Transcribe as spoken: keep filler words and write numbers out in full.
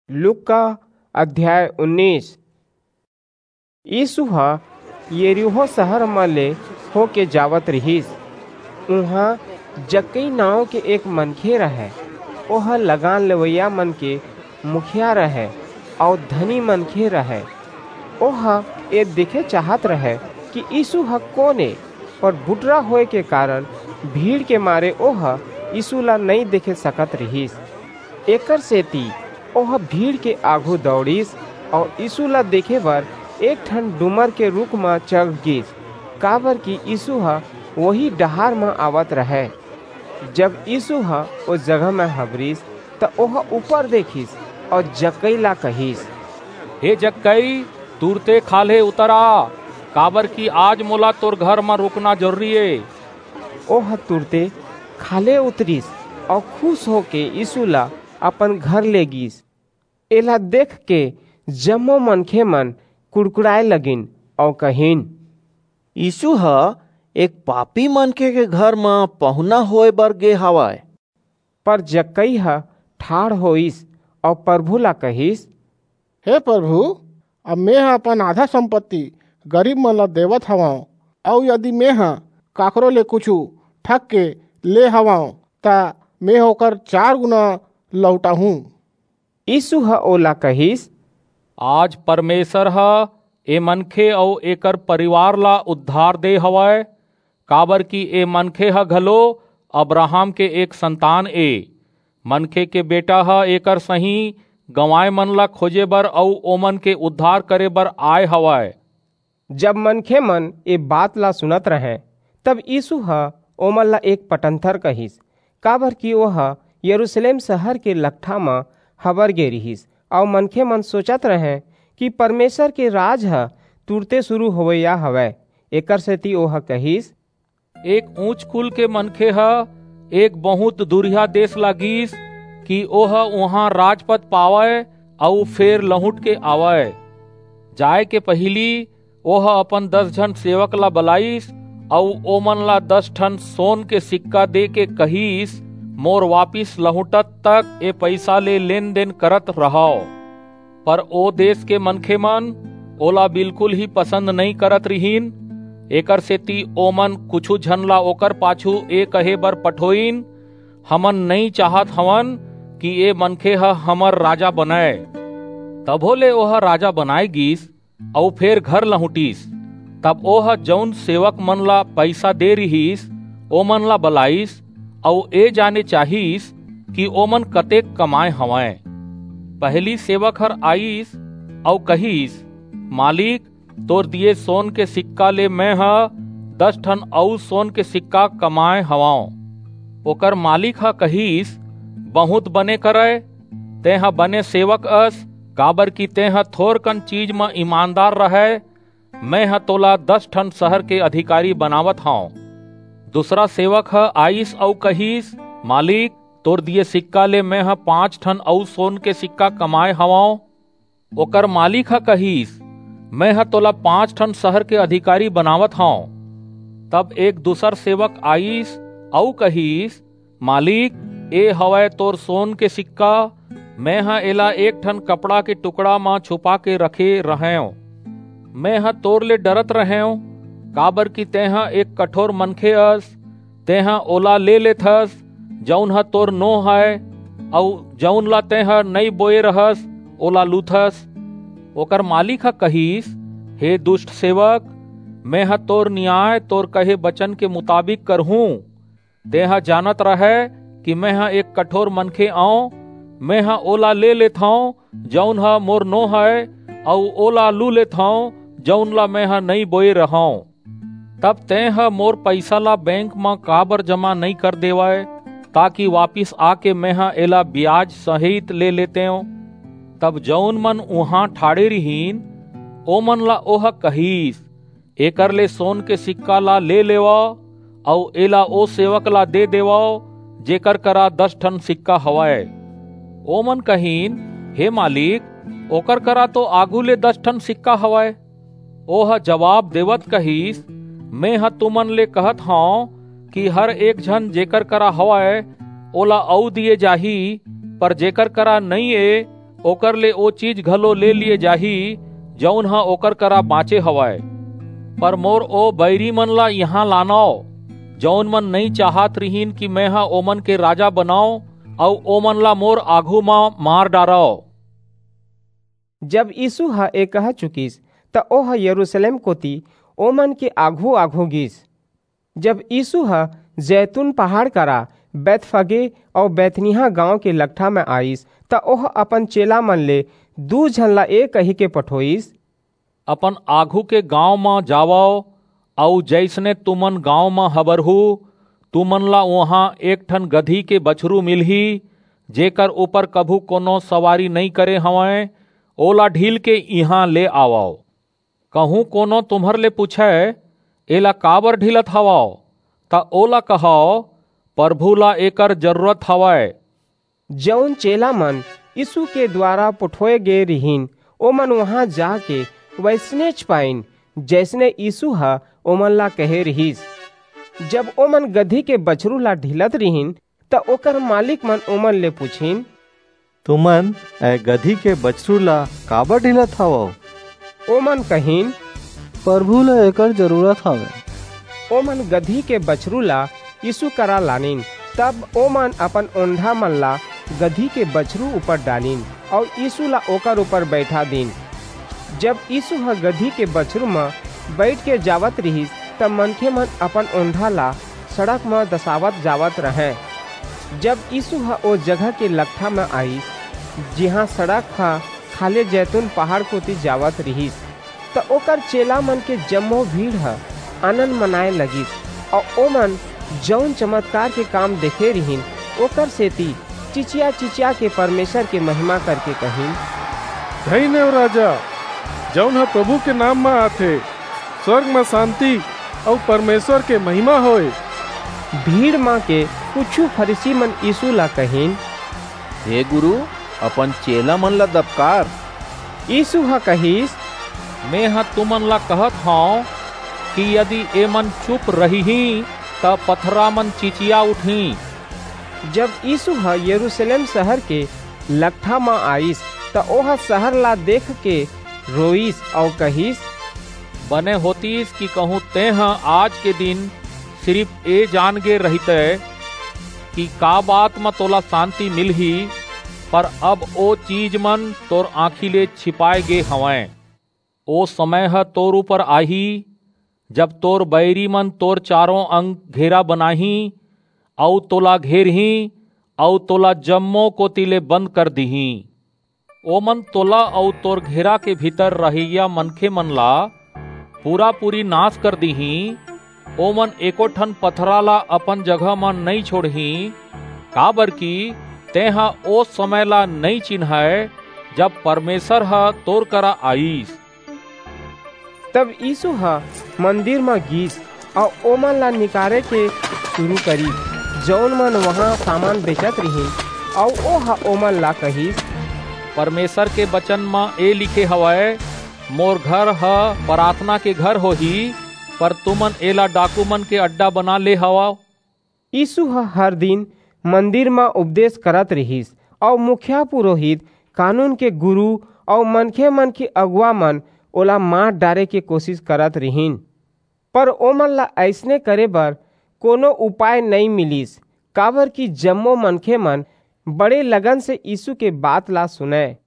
लूका अध्याय उन्नीस। यीसू ह यरीहो सहर म ले होके जावत रिहिस। उहां जक्कई नांव के एक मनखे रहय। ओह लगान लेवइया मन के मुखिया रहय अऊ धनी मनखे रहय। ओह ए देखे चाहत रहय कि यीसू ह कोन ए, पर बुटरा होय के कारन भीड़ के मारे ओह यीसू ला नइं देखे सकत रिहिस। एकरसेति ओह भीड़ के आघू दौड़िस अऊ यीसू ला देखे बर एक ठन डूमर के रूख म चघ गीस, काबरकि यीसू ह ओही डहार म आवत रहय। जब यीसू ह ओ जगह म हबरिस, त ओह ऊपर देखिस अऊ जक्कई ला कहिस, "हे जक्कई, तुरते खाल्हे उतर आ, काबरकि आज मोला तोर घर म रूकना जरूरी ए।" ओह तुरते खाल्हे उतरिस अऊ खुस होके यीसू ला अपन घर ले गीस। एला देखके जम्मो मनखेमन कुड़कुड़ाय लगिन अऊ कहिन, "यीसू ह एक पापी मनखे के घर म पहुना होय बर गे हवय।" पर जक्कई ह ठाढ़ होईस अऊ परभू ला कहिस, "हे परभू, अब मेंह अपन आधा संपत्ति गरीबमन ला देवत हवंव, अऊ यदि मेंह काकरो ले कुछू ठग के ले हवंव, त मेंह ओकर चार गुना लहुटाहूं।" यीसू ह ओला कहिस, "आज परमेसर ह ए मनखे अऊ एकर परिवार ला उद्धार दे हवय, काबरकि ए मनखे ह घलो अब्राहम के एक संतान ए। मनखे के बेटा ह एकर सहीं गंवाय मन ला खोजे बर अऊ ओमन के उद्धार करे बर आय हवय।" जब मनखेमन ए बात ला सुनत रहंय, तब यीसू ह ओमन ला एक पटंथर कहिस, काबरकि ओह यरूसलेम सहर के लकठा म हबर गे रिहिस, अऊ मनखेमन सोचत रहंय कि परमेसर के राज ह तुरते सुरू होवइया हवय। एकरसेति ओह कहिस, "एक ऊंच कुल के मनखे ह एक बहुंत दूरिहा देस ला गीस कि ओह उहां राजपद पावय अऊ फेर लहुंट के आवय। जाय के पहिली ओह अपन दस झन सेवक ला बलाईस अऊ ओमन ला दस ठन सोन के सिक्का देके कहिस, 'मोर वापिस लहुंटत तक ए पईसा ले लेन-देन करत रहव।' पर ओ देस के मनखेमन ओला बिल्कुल ही पसंद नइं करत रिहिन। एकरसेति ओमन कुछू झन ला ओकर पाछू ए कहे बर पठोईन, 'हमन नइं चाहत हवन कि ए मनखे ह हमर राजा बनय।' तभो ले ओह राजा बनाय गीस अऊ फेर घर लहुंटिस। तब ओह जऊन सेवकमन ला पईसा दे रिहिस, ओमन ला बलाईस अऊ ए जाने चाहिस कि ओमन कतेक कमाय हवंय। पहिली सेवक हर आईस अऊ कहिस, 'मालिक, तोर दिये सोन के सिक्का ले मेंह दस ठन अऊ सोन के सिक्का कमाय हवंव।' ओकर मालिक ह कहिस, 'बहुंत बने करय, तेंह बने सेवक अस, काबरकि तेंह थोरकन चीज म ईमानदार रहय, मेंह तोला दस ठन सहर के अधिकारी बनावत हंव।' दूसरा सेवक ह आईस अऊ कहिस, 'मालिक, तोर दिये सिक्का ले मेंह पांच ठन अऊ सोन के सिक्का कमाय हवंव।' ओकर मालिक ह कहिस, 'मेंह तोला पांच ठन सहर के अधिकारी बनावत हंव।' तब एक दूसर सेवक आईस अऊ कहिस, 'मालिक, ए हवय तोर सोन के सिक्का, मेंह एला एक ठन कपड़ा के टुकड़ा म छुपा के रखे रहेंव। मेंह तोर ले डरत रहेंव, काबरकि तेंह एक कठोर मनखे अस, तेंह ओला ले लेथस, जऊन ह तोर नो हय, अऊ जऊन ला तेंह नइं बोये रहस, ओला लूथस।' ओकर मालिक ह कहिस, 'हे दुस्ट सेवक, मेंह तोर नियाय तोर कहे बचन के मुताबिक करहूं। तेंह जानत रहय कि मेंह एक कठोर मनखे अंव, मेंह ओला ले लेथंव, जऊन ह मोर नो हय, अऊ ओला लू लेथंव, जऊन ला मेंह नइं बोये रहंव। तब तेंह मोर पईसा ला बेंक म काबर जमा नइं कर देवय, ताकि वापिस आके मेंह एला बियाज सहित ले लेतेंव?' तब जऊन मन उहां ठाढ़े रिहिन, ओमन ला ओह कहिस, 'एकर ले सोन के सिक्का ला ले लेवव अऊ एला ओ सेवक ला दे देवव, जेकर करा दस ठन सिक्का हवय।' ओमन कहिन, 'हे मालिक, ओकर करा तो आघू ले दस ठन सिक्का हवय।' ओह जबाब देवत कहिस, 'मेंह तुमन ले कहत हंव कि हर एक झन जेकर करा हवय, ओला अऊ दिये जाही, पर जेकर करा नइं ए, ओकर ले ओ चीज घलो ले लिए जाही, जऊन ह ओकर करा बांचे हवय। पर मोर ओ बईरी मन ला इहां लानव, जऊन मन नइं चाहत रिहिन कि मेंह ओमन के राजा बनंव, अऊ ओमन ला मोर आघू म मार डारंव।" जब यीसू ह ए कह चुकिस, त ओह यरूसलेम कोति ओमन के आघू-आघू गीस। जब यीसू ह जैतून पहाड़ करा, बैतफगे अऊ बैतनिय्याह गांव के लकठा म आईस, त ओह अपन चेलामन ले दू झन ला ए कहिके पठोईस, "अपन आघू के गांव म जावव, अऊ जइसने तुमन गांव म हबरहू, तुमन ला उहां एक ठन गदही के बछरू मिलही, जेकर ऊपर कभू कोनो सवारी नइं करे हवंय, ओला ढील के इहां ले आवव। कहूं कोनो तुम्हर ले पूछय, 'एला काबर ढीलत हवव?' त ओला कहव, 'परभू ला एकर जरूरत हवय।'" जऊन चेलामन यीसू के दुवारा पठोय गे रिहिन, ओमन उहां जाके वइसनेच पाईन, जइसने यीसू ह ओमन ला कहे रिहिस। जब ओमन गदही के बछरू ला ढीलत रिहिन, त ओकर मालिकमन ओमन ले पुछिन, "तुमन ए गदही के बछरू ला काबर ढीलत हवव?" ओमन कहिन, "परभू ला एकर जरूरत हवय।" ओमन गदही के बछरू ला यीसू करा लानिन। तब ओमन अपन ओंढामन ला गदही के बछरू ऊपर डालिन अऊ यीसू ला ओकर ऊपर बईठा दीन। जब यीसू ह गदही के बछरू म बईठके जावत रिहिस, त मनखेमन अपन ओंढा ला सड़क म दसावत जावत रहंय। जब यीसू ह ओ जगह के लकठा म आईस, जिहां सड़क ह खाल्हे जैतून पहाड़ कोति जावत रिहिस, त ओकर चेलामन के जम्मो भीड़ ह आनंद मनाय लगिस, अऊ ओमन जऊन चमतकार के काम देखे रिहिन, ओकर सेति चिचिया-चिचिया के परमेसर के महिमा करके कहिन, "धइन हे ओ राजा, जऊन ह परभू के नांव म आथे, स्वर्ग म सांति अऊ परमेसर के महिमा होय।" भीड़ म के कुछू फरीसीमन यीसू ला कहिन, "हे गुरू, अपन चेलामन ला दबकार।" यीसू ह कहिस, "मेंह तुमन ला कहत हंव कि यदि एमन चुप रहिहीं, त पथरामन चिचिया उठहीं।" जब यीसू ह यरूसलेम सहर के लकठा म आईस, त ओह सहर ला देखके रोईस अऊ कहिस, "बने होतिस कि कहूं तेंह आज के दिन सिरिप ए जान गे रहितय कि का बात म तोला सांति मिलही, पर अब ओ चीजमन तोर आंखी ले छिपाय गे हवंय। ओ समय ह तोर ऊपर आही, जब तोर बईरीमन तोर चारों अंग घेरा बनाहीं, अऊ तोला घेरहीं, अऊ तोला जम्मो कोति ले बंद कर दिहीं। ओमन तोला अऊ तोर घेरा के भीतर रहइया मनखेमन ला पूरा-पूरी नास कर दिहीं। ओमन एको ठन पथरा ला अपन जगह म नइं छोंड़हीं, काबरकि तेंह ओ समय ला नइं चिन्हय, जब परमेसर ह तोर करा आईस।" तब यीसू ह मंदिर म गीस अऊ ओमन ला निकारे के सुरू करिस, जऊन मन उहां सामान बेचत रिहिन, अऊ ओह ओमन ला कहिस, "परमेसर के बचन म ए लिखे हवय, 'मोर घर ह पराथना के घर होही,' पर तुमन एला डाकूमन के अड्डा बना ले हवव।" यीसू ह हर दिन मंदिर म उपदेस करत रिहिस, अऊ मुखिया पुरोहित, कानून के गुरू अऊ मनखेमन के अगुवामन ओला मार डारे के कोसिस करत रिहिन। पर ओमन ला अइसने करे बर कोनो उपाय नइं मिलिस, काबरकि जम्मो मनखेमन बड़े लगन से यीसू के बात ला सुनंय।